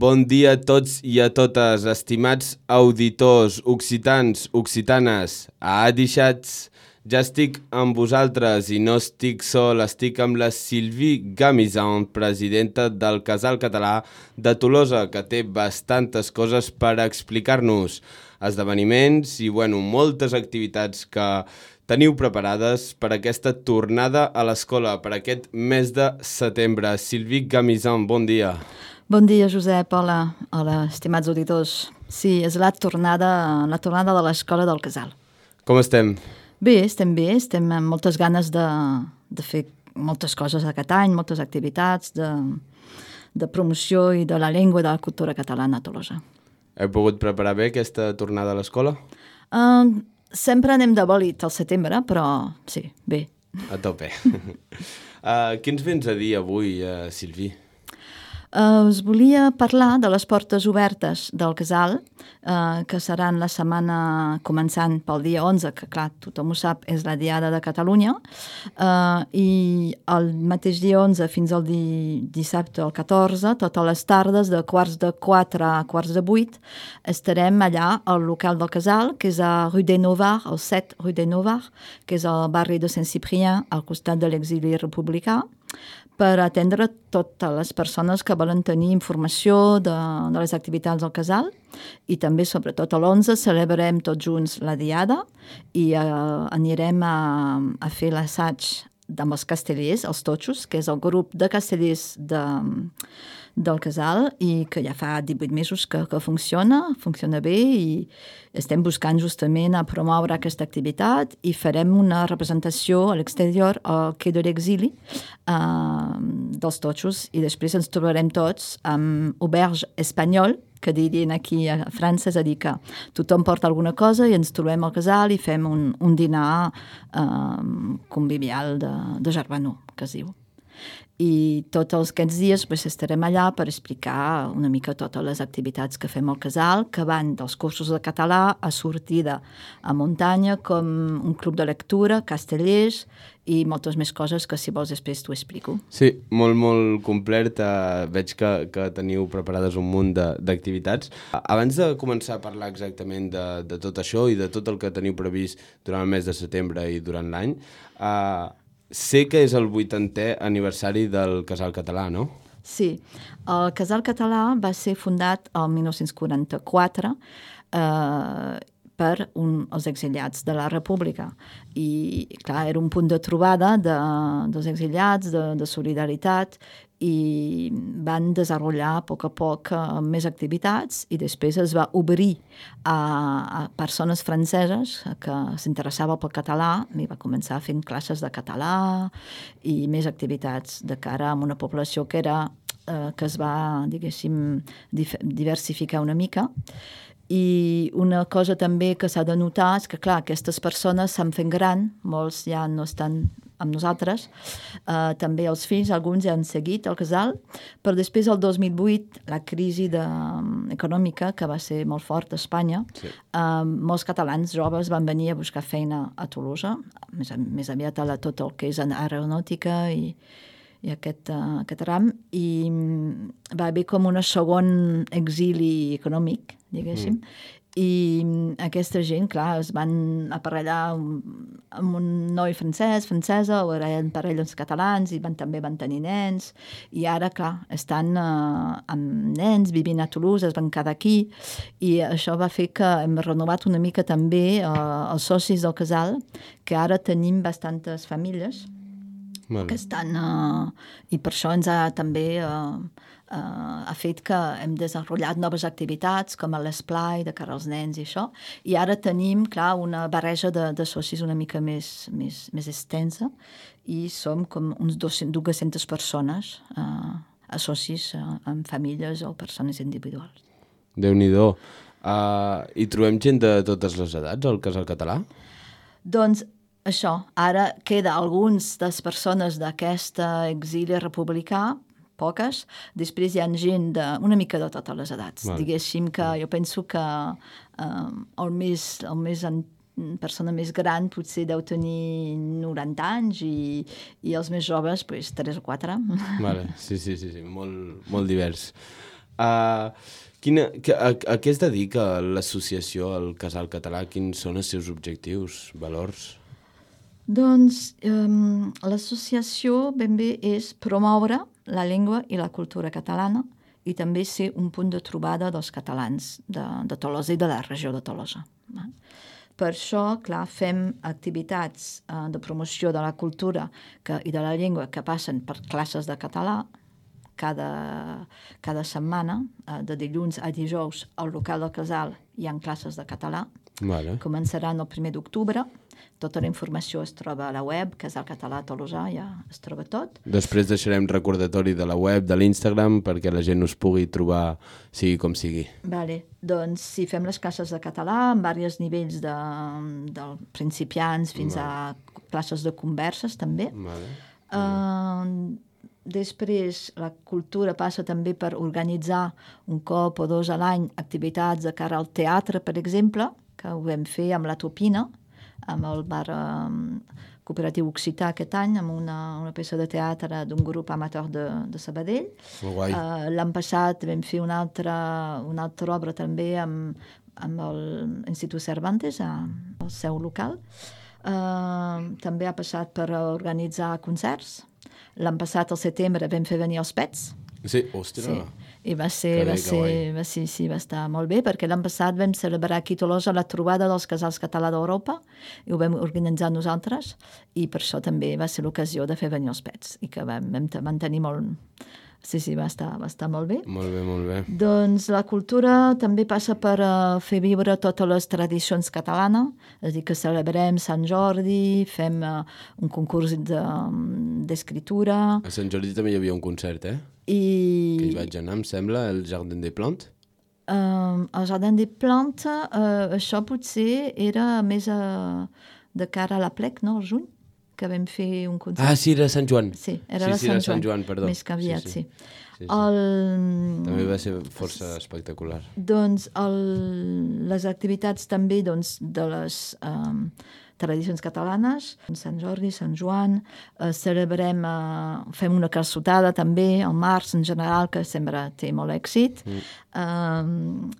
Bon dia a tots i a totes, estimats auditors occitans, occitanes, adixats. Ja estic amb vosaltres i no estic sol, estic amb la Sylvie Gamizan, presidenta del Casal Català de Tolosa, que té bastantes coses per explicar-nos, esdeveniments i moltes activitats que teniu preparades per aquesta tornada a l'escola, per aquest mes de setembre. Sylvie Gamizan, bon dia. Bon dia, Josep. Hola, estimats auditors. Sí, és la tornada de l'escola del Casal. Com estem? Bé, estem amb moltes ganes de fer moltes coses aquest any, moltes activitats de promoció i de la llengua i de la cultura catalana a Tolosa. Heu pogut preparar bé aquesta tornada a l'escola? Sempre anem de bòlit al setembre, però sí, bé. A tope. Què ens vens a dir avui, Sylvie? Us volia parlar de les portes obertes del Casal, que seran la setmana començant pel dia 11, que clar, tothom ho sap, és la Diada de Catalunya, i el mateix dia 11 fins al dissabte, el 14, totes les tardes de 3:15 a 7:15, estarem allà al local del Casal, que és a Rue des Novars, al 7 Rue des Novars, que és al barri de Saint-Cyprien, al costat de l'exili republicà, per atendre totes les persones que volen tenir informació de les activitats del Casal, i també, sobretot, a l'11 celebrarem tots junts la Diada i anirem a fer l'assaig amb els castellers, els totxos, que és el grup de castellers del Casal i que ja fa 18 mesos que funciona bé, i estem buscant justament a promoure aquesta activitat i farem una representació a l'exterior al Quai de l'Exili dels totxos, i després ens trobarem tots amb auberge espanyol, que dirien aquí a França, és a dir, que tothom porta alguna cosa i ens trobem al Casal i fem un dinar convivial de germanor, que es diu. I tots aquests dies estarem allà per explicar una mica totes les activitats que fem al Casal, que van dels cursos de català a sortida a muntanya, com un club de lectura, castellers i moltes més coses que, si vols, després t'ho explico. Sí, molt complet. Veig que teniu preparades un munt d'activitats. Abans de començar a parlar exactament de tot això i de tot el que teniu previst durant el mes de setembre i durant l'any, sé que és el 80è aniversari del Casal Català, no? Sí, el Casal Català va ser fundat el 1944 per els exiliats de la República, i clar, era un punt de trobada dels exiliats, de solidaritat, i van desenvolupar a poc més activitats, i després es va obrir a persones franceses que s'interessaven pel català, i va començar fent classes de català i més activitats de cara a una població que es va, diguéssim, diversificar una mica. I una cosa també que s'ha de notar és que, clar, aquestes persones s'han fet gran, molts ja no estan amb nosaltres, també els fills, alguns ja han seguit al Casal, però després, el 2008, la crisi econòmica, que va ser molt fort a Espanya, sí. Molts catalans joves van venir a buscar feina a Tolosa, més aviat a tot el que és aeronàutica i aquest ram, i va haver com un segon exili econòmic, diguéssim, i aquesta gent, clar, es van aparellar amb un noi francesa, o eren parelles catalans, i també van tenir nens, i ara, clar, estan amb nens, vivint a Toulouse, es van quedar aquí, i això va fer que hem renovat una mica també els socis del Casal, que ara tenim bastantes famílies que estan, i per això ens ha també ha fet que hem desenvolupat noves activitats com l'esplai de cara als nens i això, i ara tenim, clar, una barreja de socis una mica més extensa, i som com uns 200 persones a socis amb famílies o persones individuals. Déu-n'hi-do. Hi trobem gent de totes les edats al Casal Català? Doncs això, ara queda alguns de les persones d'aquest exili republicà, poques, després hi ha gent una mica de totes les edats. Vale. Diguéssim que jo penso que persona més gran potser deu tenir 90 anys i els més joves, 3 o 4. Vale. Sí, molt divers. A què es dedica l'associació, el Casal Català? Quins són els seus objectius, valors? Doncs l'associació ben bé és promoure la llengua i la cultura catalana i també ser un punt de trobada dels catalans de Tolosa i de la regió de Tolosa. Per això, clar, fem activitats de promoció de la cultura i de la llengua que passen per classes de català cada setmana, de dilluns a dijous, al local del Casal hi ha classes de català. Vale. Començaran el 1 d'octubre. Tota la informació es troba a la web, Casal Català Tolosà, ja es troba tot. Després deixarem recordatori de la web, de l'Instagram, perquè la gent us pugui trobar sigui com sigui. Vale. Doncs sí, fem les classes de català en diversos nivells de principiants fins a classes de converses, també. Vale. Després, la cultura passa també per organitzar un cop o dos a l'any activitats de cara al teatre, per exemple, que ho vam fer amb la Topina, amb el bar cooperatiu occità aquest any, amb una peça de teatre d'un grup amateur de Sabadell. L'any passat vam fer una altra obra també amb l'Institut Cervantes, al seu local. També ha passat per organitzar concerts. L'any passat, al setembre, vam fer venir els Pets. Sí, ostres. Sí. I va estar molt bé, perquè l'any passat vam celebrar aquí a Tolosa la trobada dels casals català d'Europa, i ho vam organitzar nosaltres, i per això també va ser l'ocasió de fer venir els Pets, i que vam mantenir molt... Sí, va estar molt bé. Molt bé, molt bé. Doncs la cultura també passa per fer viure totes les tradicions catalanes, és a dir, que celebrem Sant Jordi, fem un concurs d'escriptura... A Sant Jordi també hi havia un concert, Que hi vaig anar, em sembla, el Jardin des Plantes. El Jardin des Plantes, això potser era més de cara a la plec, no?, al juny, que vam fer un concert. Ah, sí, era Sant Joan. Sí, era Sant Joan, perdó. Més que aviat, sí. També va ser força espectacular. Doncs les activitats també de les tradicions catalanes, Sant Jordi, Sant Joan, celebrem, fem una calçotada també, al març en general, que sempre té molt èxit,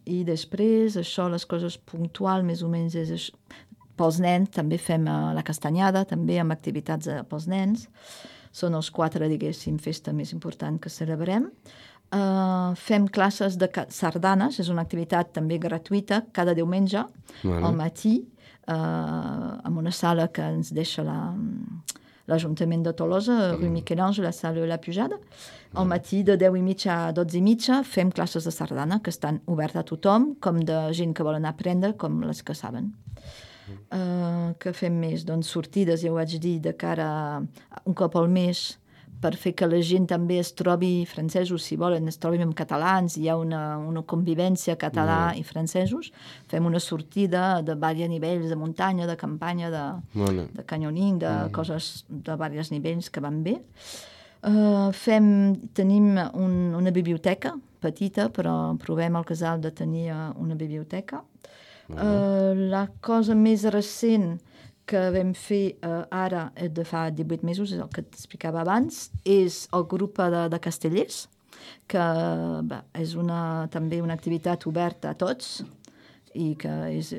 i després això, les coses puntuals, més o menys és això. Pels nens també fem la castanyada, també amb activitats pels nens. Són els 4, diguéssim, festa més important que celebrem. Fem classes de sardanes, és una activitat també gratuïta, cada diumenge, al matí, en una sala que ens deixa l'Ajuntament de Tolosa, rue Miquel-Ange, la sala La Pujada. Al matí, de 10:30 a 12:30, fem classes de sardana, que estan obertes a tothom, com de gent que volen aprendre, com les que saben. Que fem més? Doncs sortides, ja ho vaig dir, de cara un cop al mes, per fer que la gent també es trobi, francesos, si volen, es trobin amb catalans, hi ha una convivència català i francesos. Fem una sortida de diversos nivells, de muntanya, de campanya, de canyoning, de coses de diversos nivells que van bé. Tenim una biblioteca petita, però provem al casal de tenir una biblioteca. La cosa més recent que vam fer ara, de fa 18 mesos, és el que t'explicava abans, és el grup de castellers, que és també una activitat oberta a tots i que és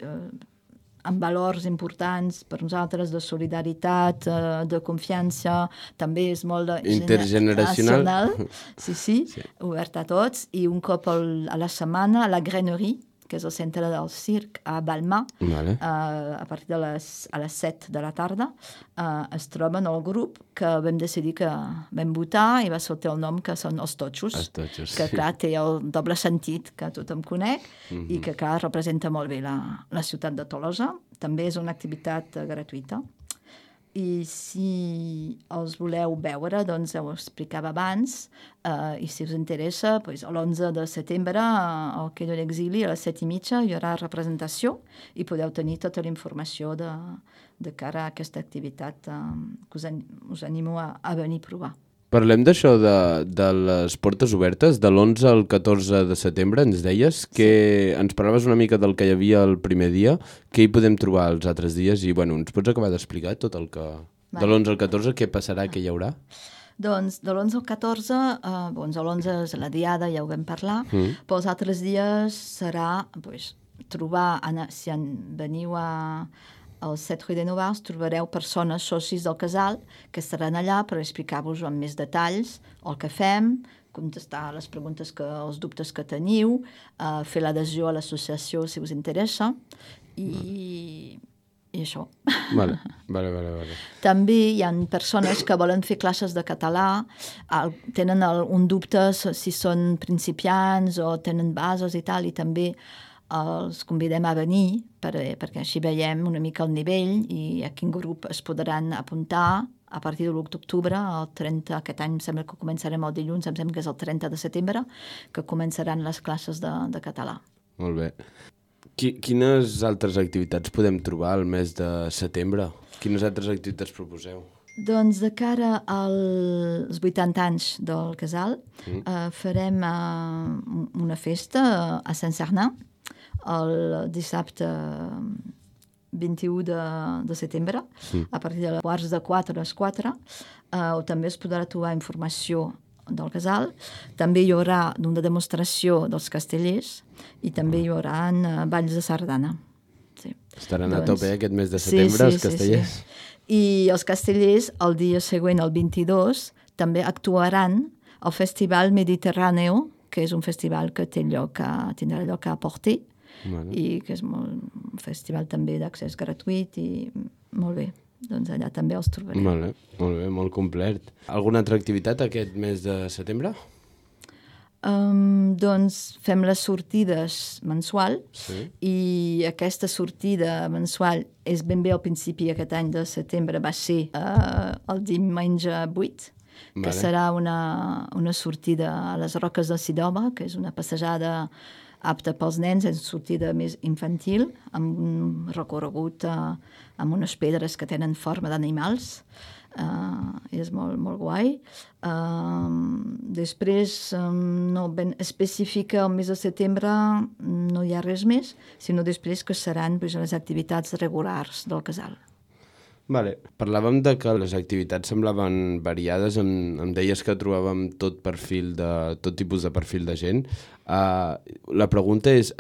amb valors importants per nosaltres, de solidaritat, de confiança, també és molt intergeneracional. Sí, obert a tots, i un cop a la setmana a la Grainerie, que és el centre del circ a Balma, a partir de les 7 de la tarda, es troben el grup que vam decidir que vam votar i va sortir el nom que són els Totxos, que clar té el doble sentit que tothom conec i que clar representa molt bé la ciutat de Tolosa. També és una activitat gratuïta. I si els voleu veure, doncs ho explicava abans, i si us interessa, l'11 de setembre al Quai de l'Exili a les 7:30 hi haurà representació i podeu tenir tota la informació de cara a aquesta activitat que us animo a venir a provar. Parlem d'això de les portes obertes, de l'11 al 14 de setembre, ens deies, que ens parlaves una mica del que hi havia el primer dia, què hi podem trobar els altres dies, i bueno, ens pots acabar d'explicar tot el que... De l'11 al 14, què passarà, què hi haurà? Doncs de l'11 al 14, doncs l'11 és la diada, ja ho vam parlar, però els altres dies serà trobar, si veniu al 7 Rue de Novars, trobareu persones socis del casal que estaran allà per explicar-vos amb més detalls el que fem, contestar les preguntes, els dubtes que teniu, fer l'adhesió a l'associació si us interessa, i això. Vale. També hi ha persones que volen fer classes de català, tenen un dubte si són principiants o tenen bases i tal, i també els convidem a venir perquè així veiem una mica el nivell i a quin grup es podran apuntar a partir de l'1 d'octubre, el 30, aquest any em sembla que començarem el dilluns, em sembla que és el 30 de setembre, que començaran les classes de català. Molt bé. Quines altres activitats podem trobar al mes de setembre? Quines altres activitats proposeu? Doncs de cara als 80 anys del casal farem una festa a Sant-Cernin el dissabte 21 de setembre, a partir de quarts de 4 a les 4, on també es podrà trobar informació del casal. També hi haurà una demostració dels castellers i també hi haurà balls de sardana. Sí. Estaran a tope aquest mes de setembre, els castellers. Sí. I els castellers, el dia següent, el 22, també actuaran al Festival Mediterráneo, que és un festival que tindrà lloc a Porter, i que és un festival també d'accés gratuït i molt bé. Doncs allà també els trobarem. Molt bé, molt complet. Alguna altra activitat aquest mes de setembre? Doncs fem les sortides mensual i aquesta sortida mensual és ben bé al principi aquest any de setembre, va ser el diumenge 8, que serà una sortida a les Roques del Sidoma, que és una passejada apta pels nens, és una sortida més infantil, amb un recorregut amb unes pedres que tenen forma d'animals. És molt, molt guai. Després, no ben específica, el mes de setembre no hi ha res més, sinó després que seran les activitats regulars del casal. Vale. Parlàvem de que les activitats semblaven variades, em deies que trobàvem tot tipus de perfil de gent. La pregunta és,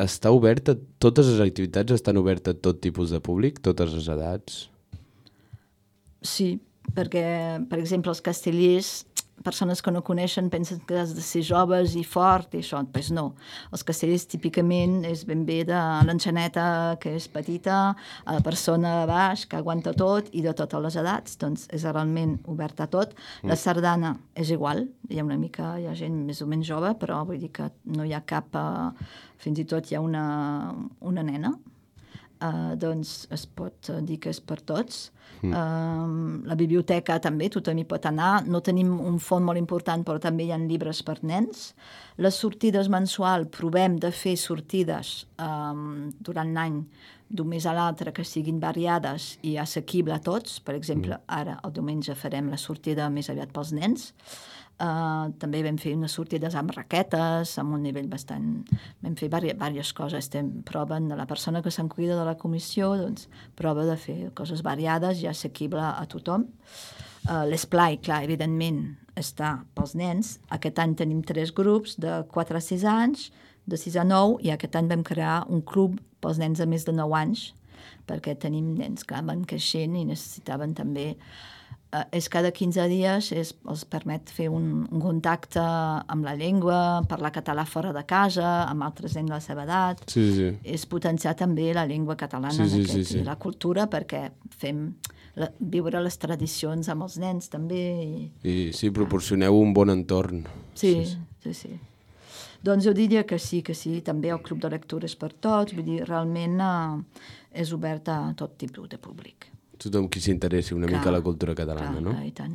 totes les activitats estan obertes a tot tipus de públic, totes les edats? Sí, perquè, per exemple, els castellers, persones que no coneixen pensen que has de ser joves i fort i això, doncs no. Els castellers típicament és ben bé de l'enxaneta que és petita, a la persona de baix que aguanta tot i de totes les edats, doncs és realment obert a tot. La sardana és igual, hi ha gent més o menys jove, però vull dir que no hi ha cap, fins i tot hi ha una nena, doncs es pot dir que és per tots. La biblioteca també, tothom hi pot anar. No tenim un fons molt important, però també hi ha llibres per nens. Les sortides mensual, provem de fer sortides durant l'any d'un mes a l'altre que siguin variades i assequible a tots. Per exemple, ara el diumenge farem la sortida més aviat pels nens. També vam fer unes sortides amb raquetes, amb un nivell bastant... Vam fer diverses coses. Proven de la persona que se'n cuida de la comissió, doncs prova de fer coses variades i assequible a tothom. L'esplai, clar, evidentment, està pels nens. Aquest any tenim 3 grups de 4 a 6 anys, de 6 a 9, i aquest any vam crear un club pels nens de més de 9 anys, perquè tenim nens que van creixent i necessitaven també... És cada 15 dies, els permet fer un contacte amb la llengua, parlar català fora de casa, amb altres nens de la seva edat. Sí. És potenciar també la llengua catalana i la cultura, perquè fem viure les tradicions amb els nens també. I sí, proporcioneu un bon entorn. Sí. Doncs jo diria que sí, també el club de lectura és per tots, vull dir, realment és obert a tot tipus de públic. Tothom qui s'interessi una mica a la cultura catalana, no? Clar, i tant.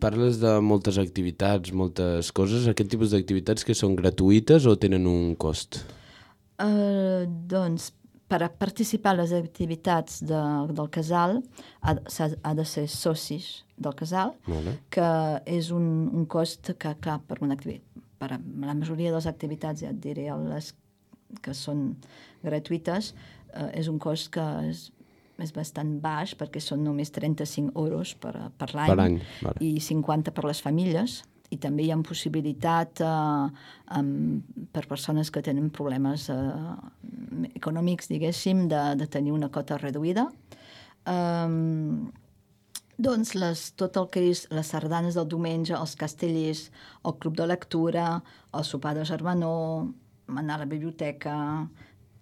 Parles de moltes activitats, moltes coses. Aquest tipus d'activitats que són gratuïtes o tenen un cost? Doncs, per participar a les activitats del casal ha de ser socis del casal, que és un cost que, clar, per la majoria de les activitats, ja et diré, les que són gratuïtes, és un cost que és bastant baix perquè són només 35 euros per l'any, Per any, vale. i 50 per les famílies, i també hi ha possibilitat per persones que tenen problemes econòmics, diguéssim, de tenir una cota reduïda. Doncs tot el que és les sardanes del diumenge, els castellers, el club de lectura, el sopar de germanor, anar a la biblioteca,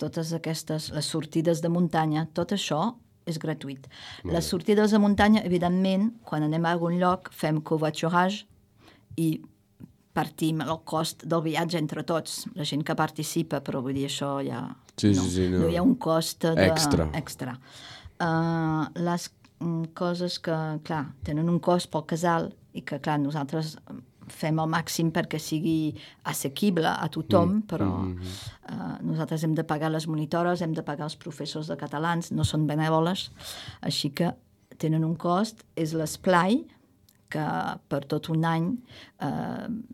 totes aquestes, les sortides de muntanya, tot això és gratuït. Les sortides de muntanya, evidentment, quan anem a algun lloc, fem covoiturage i partim el cost del viatge entre tots. La gent que participa, però vull dir, això ja... No hi ha un cost extra. Les coses que, clar, tenen un cost pel casal i que, clar, nosaltres fem el màxim perquè sigui assequible a tothom, però nosaltres hem de pagar les monitores, hem de pagar els professors de catalans, no són benèvoles, així que tenen un cost. És l'esplai, que per tot un any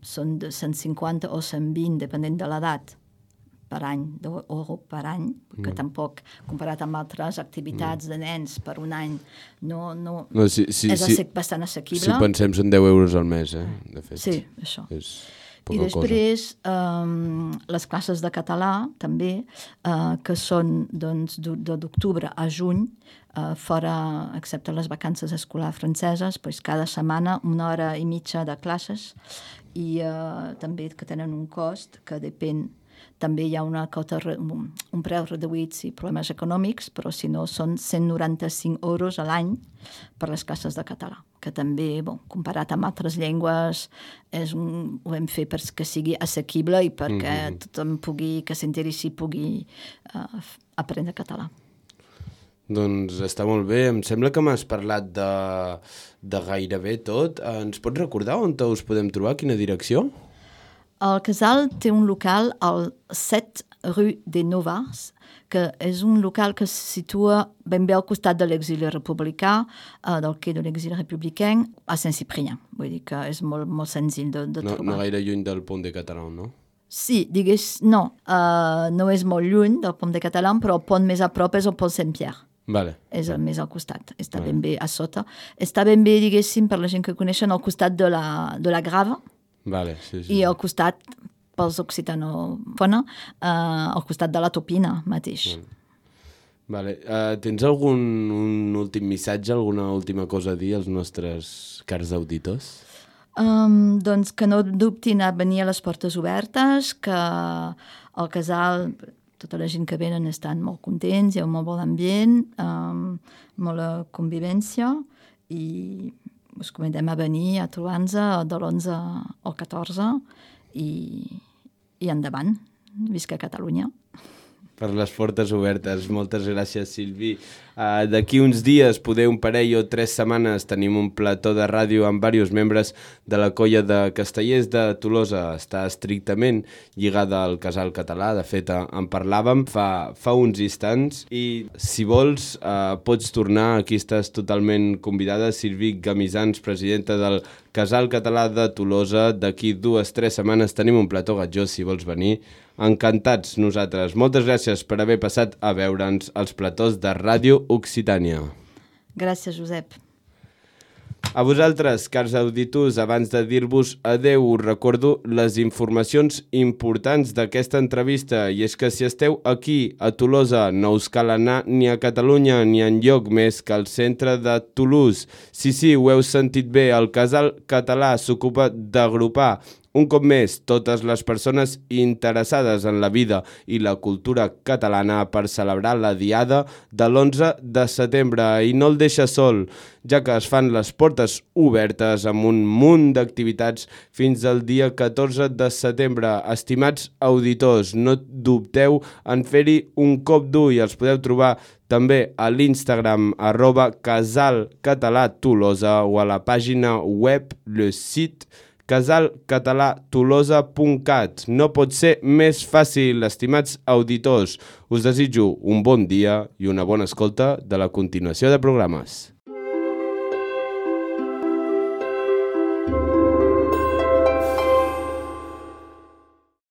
són de 150 o 120, depenent de l'edat, per any, d'euro per any, que tampoc, comparat amb altres activitats de nens per un any, és bastant assequible. Si pensem, són 10 euros al mes, de fet. Sí, això. I després, les classes de català, també, que són d'octubre a juny, fora, excepte les vacances escolars franceses, cada setmana 1 hora i mitja de classes, i també que tenen un cost que depèn. També hi ha un preu reduït si problemes econòmics, però si no són 195 euros a l'any per les classes de català, que també, comparat amb altres llengües, ho hem fet perquè sigui assequible i perquè tothom que s'interessi pugui aprendre català. Doncs està molt bé. Em sembla que m'has parlat de gairebé tot. Ens pots recordar on us podem trobar? Quina direcció? El casal té un local al 7 rue des Novars, que és un local que se situa ben bé al costat de l'exili republicà, del quai de l'exili républicain, a Saint-Cyprien. Vull dir que és molt, molt senzill de trobar. No gaire lluny del Pont de Catalan, no? Sí, no és molt lluny del Pont de Catalan, però el pont més a prop és el Pont Saint-Pierre. Vale. És el més al costat, està ben bé a sota. Està ben bé, diguéssim, per la gent que coneixen, al costat de la Grava. Vale, sí. I al costat, pels occitànofona, al costat de la Topina mateix. Vale. Tens un últim missatge, alguna última cosa a dir als nostres cars auditors? Doncs que no dubtin a venir a les portes obertes, que al casal tota la gent que venen estan molt contents, hi ha un molt bon ambient, molta convivència, i us convidem a venir a trobar-nos de l'11 al 14 i endavant. Visca Catalunya. Per les portes obertes. Moltes gràcies, Silvi. D'aquí uns dies, un parell o 3 setmanes, tenim un plató de ràdio amb diversos membres de la colla de Castellers de Tolosa. Està estrictament lligada al casal català. De fet, en parlàvem fa uns instants. I si vols, pots tornar. Aquí estàs totalment convidada. Silvi Gamisans, presidenta del casal català de Tolosa. D'aquí 2-3 setmanes tenim un plató gatjó, si vols venir. Encantats nosaltres. Moltes gràcies per haver passat a veure'ns als platós de Ràdio Occitània. Gràcies, Josep. A vosaltres, cars auditors, abans de dir-vos adeu, us recordo les informacions importants d'aquesta entrevista, i és que si esteu aquí, a Tolosa, no us cal anar ni a Catalunya ni enlloc més que al centre de Toulouse. Sí, ho heu sentit bé, el casal català s'ocupa d'agrupar un cop més totes les persones interessades en la vida i la cultura catalana per celebrar la diada de l'11 de setembre, i no el deixa sol, ja que es fan les portes obertes amb un munt d'activitats fins al dia 14 de setembre. Estimats auditors, no dubteu en fer-hi un cop d'ull. Els podeu trobar també a l'Instagram @casalcatalatolosa o a la pàgina web, le site casalcatalatolosa.cat. No pot ser més fàcil, estimats auditors. Us desitjo un bon dia i una bona escolta de la continuació de programes.